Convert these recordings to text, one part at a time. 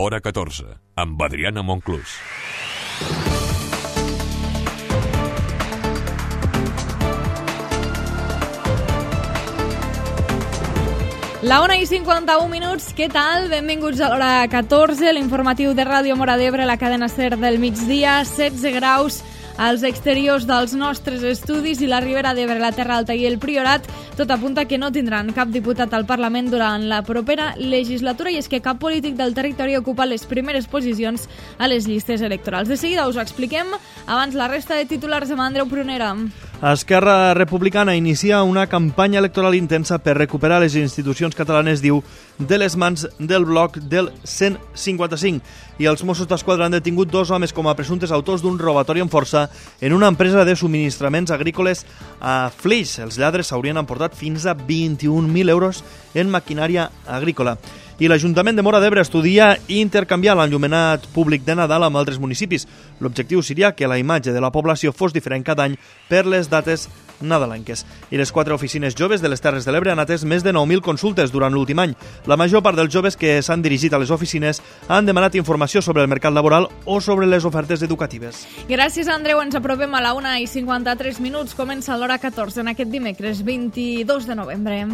Hora 14, amb Adriana Monclús. La 1:51, què tal? Benvinguts a l'hora 14, l'informatiu de Ràdio Móra d'Ebre, la cadena SER del migdia, 16 graus als exteriors dels nostres estudis i la Ribera d'Ebre, la Terra Alta i el Priorat. Tot apunta que no tindran cap diputat al Parlament durant la propera legislatura i és que cap polític del territori ocupa les primeres posicions a les llistes electorals. De seguida us ho expliquem, abans la resta de titulars amb Andreu Prunera. Esquerra Republicana inicia una campanya electoral intensa per recuperar les institucions catalanes, diu, de les mans del bloc del 155. I els Mossos d'Esquadra han detingut 2 homes com a presumptes autors d'un robatori amb força en una empresa de subministraments agrícoles a Flix. Els lladres s'haurien emportat fins a 21.000 euros en maquinària agrícola. I l'Ajuntament de Móra d'Ebre estudia intercanviar l'enllumenat públic de Nadal amb altres municipis. L'objectiu seria que la imatge de la població fos diferent cada any per les dates nadalenques. I les 4 oficines joves de les Terres de l'Ebre han atès més de 9.000 consultes durant l'últim any. La major part dels joves que s'han dirigit a les oficines han demanat informació sobre el mercat laboral o sobre les ofertes educatives. Gràcies, Andreu. Ens apropem a la 1:53. Comença l'hora 14 en aquest dimecres 22 de novembre.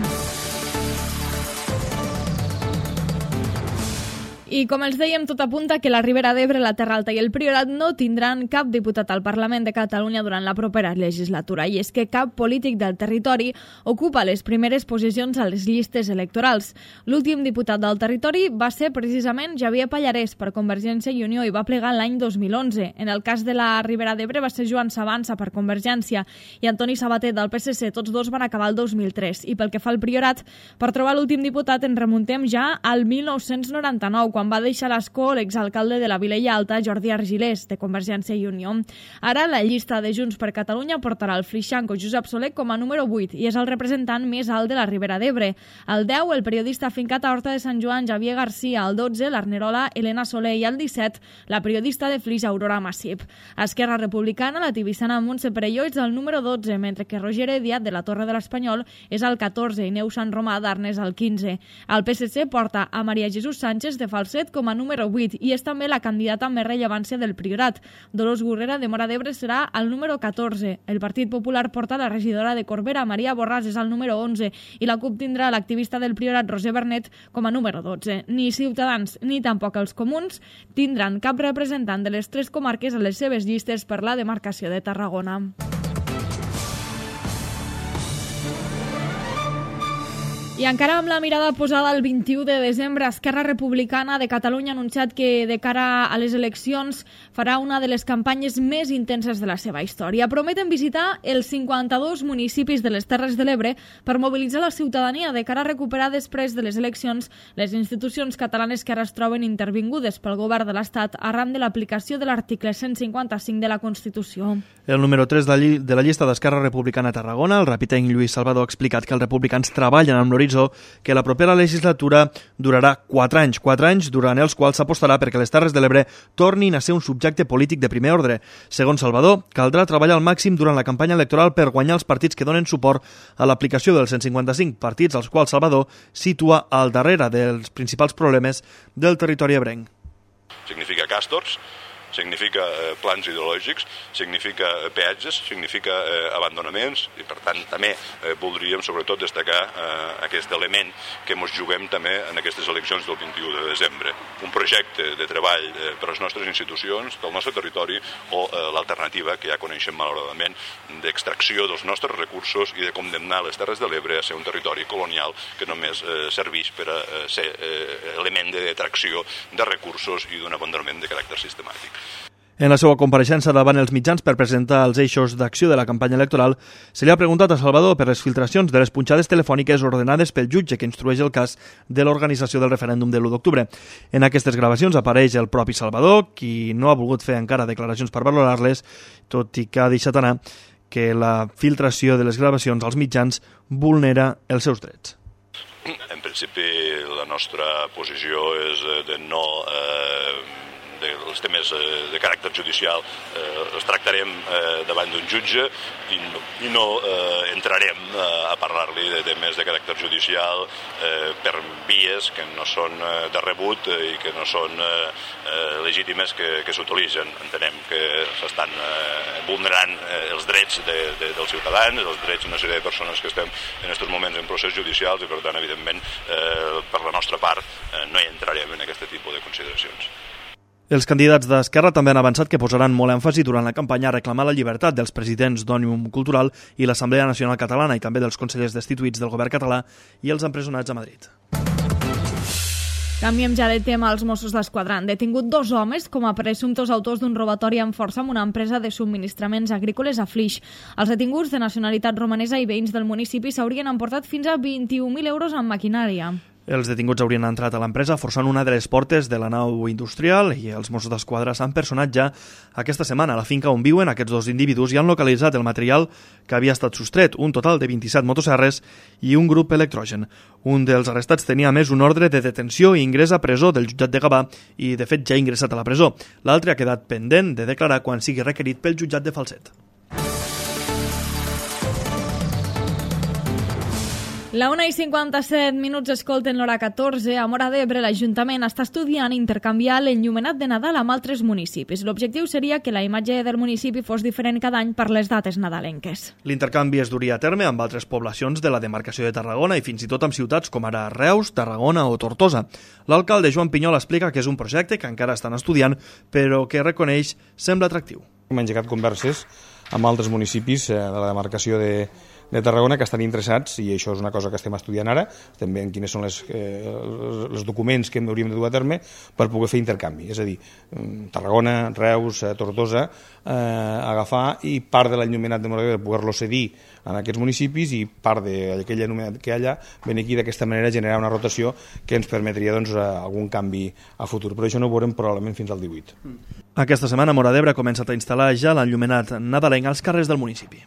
I com els dèiem, tot apunta que la Ribera d'Ebre, la Terra Alta i el Priorat no tindran cap diputat al Parlament de Catalunya durant la propera legislatura. I és que cap polític del territori ocupa les primeres posicions a les llistes electorals. L'últim diputat del territori va ser precisament Javier Pallarès per Convergència i Unió i va plegar l'any 2011. En el cas de la Ribera d'Ebre va ser Joan Sabanza per Convergència i Antoni Sabater del PSC. Tots dos van acabar el 2003. I pel que fa al Priorat, per trobar l'últim diputat ens remuntem ja al 1999, quan va deixar l'escó l'exalcalde de la Vilella Alta, Jordi Argilés, de Convergència i Unió. Ara la llista de Junts per Catalunya portarà el flixanco Josep Soler com a número 8 i és el representant més alt de la Ribera d'Ebre. Al 10, el periodista afincat a Horta de Sant Joan, Javier Garcia. Al 12, l'Arnerola Elena Soler. I al 17, la periodista de Flix, Aurora Massip. A Esquerra Republicana, la tibissana Montse Perelló és el número 12, mentre que Roger Ediat, de la Torre de l'Espanyol, és el 14 i Neus Sant Romà d'Arnes el 15. El PSC porta a Maria Jesús Sánchez de Falset com a número 8 i és també la candidata amb més rellevància del Priorat. Dolors Gurrera de Móra d'Ebre serà el número 14. El Partit Popular porta la regidora de Corbera, Maria Borràs, és el número 11 i la CUP tindrà l'activista del Priorat, Roser Bernet, com a número 12. Ni Ciutadans ni tampoc els Comuns tindran cap representant de les 3 comarques a les seves llistes per la demarcació de Tarragona. I encara amb la mirada posada al 21 de desembre, Esquerra Republicana de Catalunya ha anunciat que de cara a les eleccions farà una de les campanyes més intenses de la seva història. Prometen visitar els 52 municipis de les Terres de l'Ebre per mobilitzar la ciutadania de cara a recuperar després de les eleccions les institucions catalanes que ara es troben intervingudes pel govern de l'Estat arran de l'aplicació de l'article 155 de la Constitució. El número 3 de la llista d'Esquerra Republicana a Tarragona, el rapitenc Lluís Salvador, ha explicat que els republicans treballen amb l'horitzó que la propera legislatura durarà 4 anys. 4 anys durant els quals s'apostarà perquè les Terres de l'Ebre tornin a ser un subjecte polític de primer ordre. Segons Salvador, caldrà treballar al màxim durant la campanya electoral per guanyar els partits que donen suport a l'aplicació del 155, partits als quals Salvador situa al darrere dels principals problemes del territori ebrenc. Significa càstors, significa plans ideològics, significa peatges, significa abandonaments i per tant també voldríem sobretot destacar aquest element que ens juguem també en aquestes eleccions del 21 de desembre. Un projecte de treball per a les nostres institucions, del nostre territori o l'alternativa que ja coneixem malauradament d'extracció dels nostres recursos i de condemnar les Terres de l'Ebre a ser un territori colonial que només serveix per a ser element de detracció de recursos i d'un abandonament de caràcter sistemàtic. En la seva compareixença davant els mitjans per presentar els eixos d'acció de la campanya electoral, se li ha preguntat a Salvador per les filtracions de les punxades telefòniques ordenades pel jutge que instrueix el cas de l'organització del referèndum de l'1 d'octubre. En aquestes gravacions apareix el propi Salvador, qui no ha volgut fer encara declaracions per valorar-les, tot i que ha deixat anar que la filtració de les gravacions als mitjans vulnera els seus drets. En principi, la nostra posició és de no els temes de caràcter judicial els tractarem davant d'un jutge i no entrarem a parlar-li de temes de caràcter judicial per vies que no són de rebut i que no són legítimes que s'utilitzen. Entenem que s'estan vulnerant els drets dels ciutadans, els drets d'una sèrie de persones que estem en aquests moments en procés judicials i, per tant, evidentment, per la nostra part, no hi entrarem en aquest tipus de consideracions. Els candidats d'Esquerra també han avançat que posaran molt èmfasi durant la campanya a reclamar la llibertat dels presidents d'Òmnium Cultural i l'Assemblea Nacional Catalana i també dels consellers destituïts del govern català i els empresonats a Madrid. Canviem ja de tema. Els Mossos d'Esquadra han detingut 2 homes com a presumptos autors d'un robatori amb força en una empresa de subministraments agrícoles a Flix. Els detinguts de nacionalitat romanesa i veïns del municipi s'haurien emportat fins a 21.000 euros en maquinària. Els detinguts haurien entrat a l'empresa forçant una de les portes de la nau industrial i els Mossos d'Esquadra s'han personat ja aquesta setmana a la finca on viuen aquests 2 individus i han localitzat el material que havia estat sostret, un total de 27 motosserres i un grup electrogen. Un dels arrestats tenia a més un ordre de detenció i ingrés a presó del jutjat de Gavà i, de fet, ja ha ingressat a la presó. L'altre ha quedat pendent de declarar quan sigui requerit pel jutjat de Falset. La 1:57 escolten l'hora 14. A Móra d'Ebre, l'Ajuntament està estudiant intercanviar l'enllumenat de Nadal amb altres municipis. L'objectiu seria que la imatge del municipi fos diferent cada any per les dates nadalenques. L'intercanvi es duria a terme amb altres poblacions de la demarcació de Tarragona i fins i tot amb ciutats com ara Reus, Tarragona o Tortosa. L'alcalde Joan Pinyol explica que és un projecte que encara estan estudiant, però que reconeix sembla atractiu. Hem engegat converses amb altres municipis de la demarcació de Tarragona que estan interessats, i això és una cosa que estem estudiant ara, estem veient quines són els documents que hauríem de dur a terme per poder fer intercanvi, és a dir, Tarragona, Reus, Tortosa, agafar i part de l'enllumenat de Móra d'Ebre poder-lo cedir en aquests municipis i part d'aquell enllumenat que hi ha allà venir aquí d'aquesta manera generar una rotació que ens permetria algun canvi a futur, però això no ho veurem probablement fins al 18. Aquesta setmana Móra d'Ebre ha començat a instal·lar ja l'enllumenat nadalenc als carrers del municipi.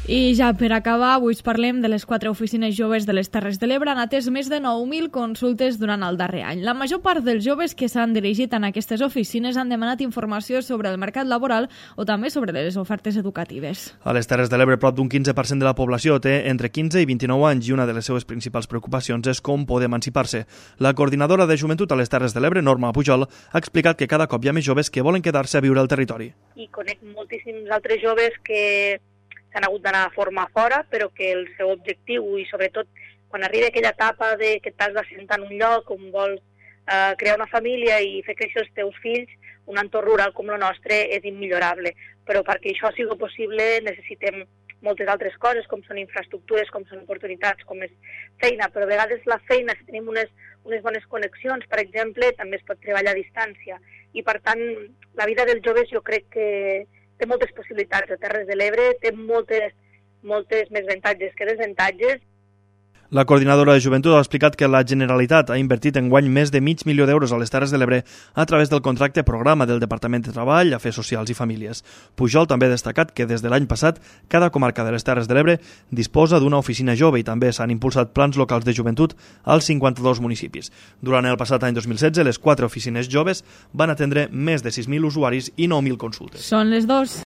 I ja per acabar, avui us parlem de les 4 oficines joves de les Terres de l'Ebre. Han atès més de 9.000 consultes durant el darrer any. La major part dels joves que s'han dirigit en aquestes oficines han demanat informació sobre el mercat laboral o també sobre les ofertes educatives. A les Terres de l'Ebre, prop d'un 15% de la població té entre 15 i 29 anys i una de les seves principals preocupacions és com poder emancipar-se. La coordinadora de joventut a les Terres de l'Ebre, Norma Pujol, ha explicat que cada cop hi ha més joves que volen quedar-se a viure al territori. I conec moltíssims altres joves que s'han hagut d'anar a formar fora, però que el seu objectiu, i sobretot quan arriba aquella etapa de que t'has d'assentar en un lloc on vols crear una família i fer créixer els teus fills, un entorn rural com el nostre és immillorable. Però perquè això sigui possible necessitem moltes altres coses, com són infraestructures, com són oportunitats, com és feina, però a vegades la feina, si tenim unes bones connexions, per exemple, també es pot treballar a distància. I per tant, la vida dels joves jo crec que té moltes possibilitats. A Terres de l'Ebre té moltes més avantatges que desavantatges. La coordinadora de joventut ha explicat que la Generalitat ha invertit enguany més de $500.000 a les Terres de l'Ebre a través del contracte programa del Departament de Treball, Afers Socials i Famílies. Pujol també ha destacat que des de l'any passat cada comarca de les Terres de l'Ebre disposa d'una oficina jove i també s'han impulsat plans locals de joventut als 52 municipis. Durant el passat any 2016, les 4 oficines joves van atendre més de 6.000 usuaris i 9.000 consultes. Són les 2.